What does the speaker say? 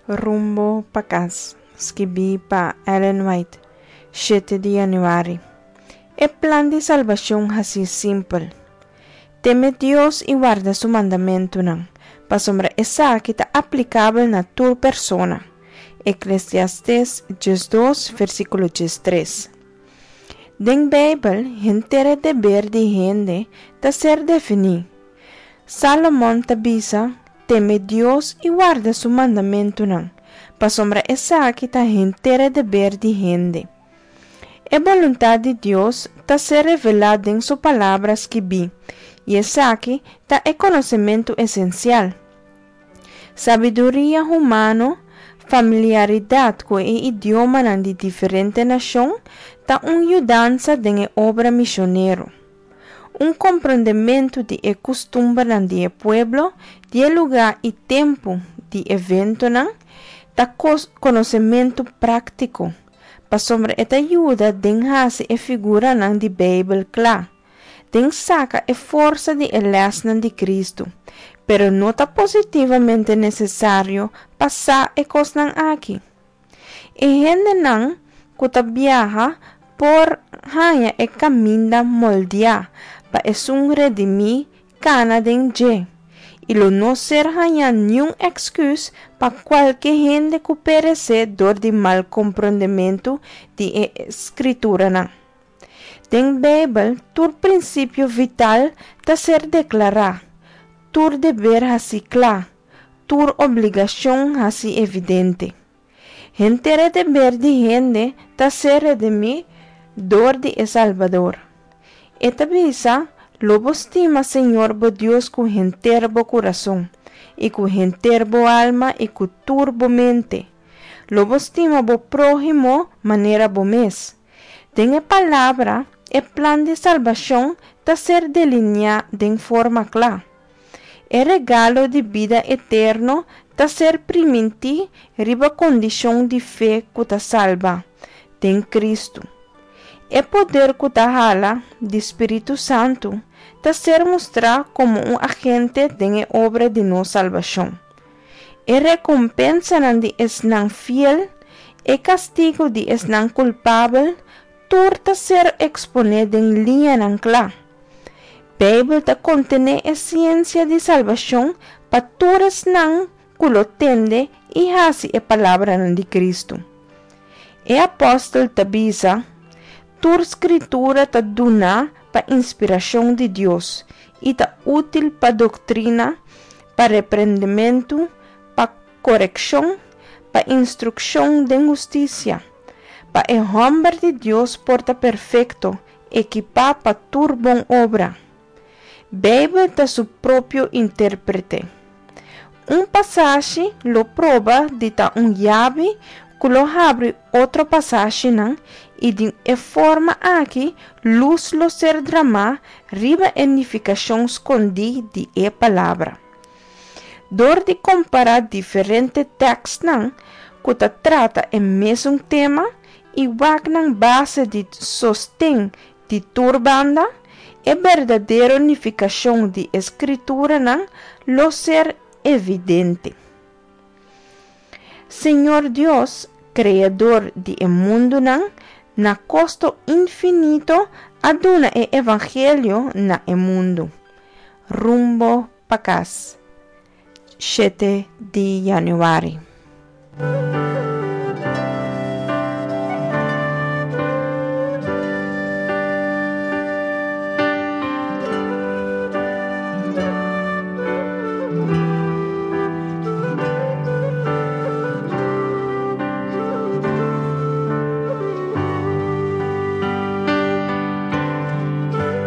Rumbo pa kas, skibí pa Ellen White, shete di yanüari. E plan di salbashon hasi simpel. Teme Dios i warda su mandamentunan, pasobra esaki ta aplikabel na tur persona. Eklesiastes 12, versíkulo 13. Den Beibel, henter e deber di hende ta ser definí. Salomon ta bisa, Teme Dios i warda su mandamentunan, pasobra esaki ta henter e deber di hende. E boluntat di Dios ta ser revelá den su Palabra skibí, i esaki ta e konosementu esensial. Sabiduria humano, familiaridat ku e idiomanan di diferente nashon ta un yudansa den e obra mishonero. Un komprondementu di e kustumbernan di e pueblo, di e lugá i tempu di eventonan ta konosementu práktiko, pasobra e ta yuda den hasi e figuranan di Beibel kla, den saka e forsa di e lèsnan di Kristu, pero no ta positivamente nesesario pa sa e kosnan aki. E hendenan ku ta biaha por haña e kaminda moldiá pa esun redimí kana den dje, i lo no ser hañá niun èksküs pa kualke hende ku peresé dor di mal komprondementu di e Skrituranan. Den Beibel tur prinsipio vital ta ser deklará, tur deber hasí kla, tur obligashon hasi evidente. Henter e deber di hende ta ser redimí dor di e Salbador. E ta bisa, Lo bo stima Señor bo Dios ku henter bo kurason, i ku henter bo alma i ku tur bo mente. Lo bo stima bo próhimo manera bo mes. Den e Palabra, e plan di salbashon ta ser deliniá den forma kla. E regalo di bida eterno ta ser primintí riba kondishon di fe ku ta salba, den Kristu. E poder ku ta hala di Spiritu Santu ta ser mustrá komo un agente den e obra di nos salbashon. E rekompensanan di esnan fiel, e kastigu di esnan kulpabel, tur ta ser eksponé den liñanan kla. Beibel ta kontené e siensia di salbashon pa tur esnan ku lo tende i hasi e palabranan di Kristu. E apòstel ta bisa, Tur Skritura ta duná pa inspirashon di Dios i ta útil pa doktrina, pa reprendementu, pa korekshon, pa instrukshon den hustisia, pa e hòmber di Dios por ta perfekto, Ekipá pa tur bon obra. Beibel ta su propio intérprete. Un pasashi lo proba di ta un yabi ku lo habri otro pasashinan i di e forma aki lus lo ser dramá riba e nifikashon skondí di e palabra. Dor di kompará diferente tèkstnan ku ta trata e mesun tema, i wak nan base di sosten di tur banda, e berdadero nifikashon di e Skrituranan lo ser evidente. Señor Dios, Kreador di e mundunan, na kosto infinito a duna e evangelio na e mundu. Rumbo pa kas. Shete di yanüari.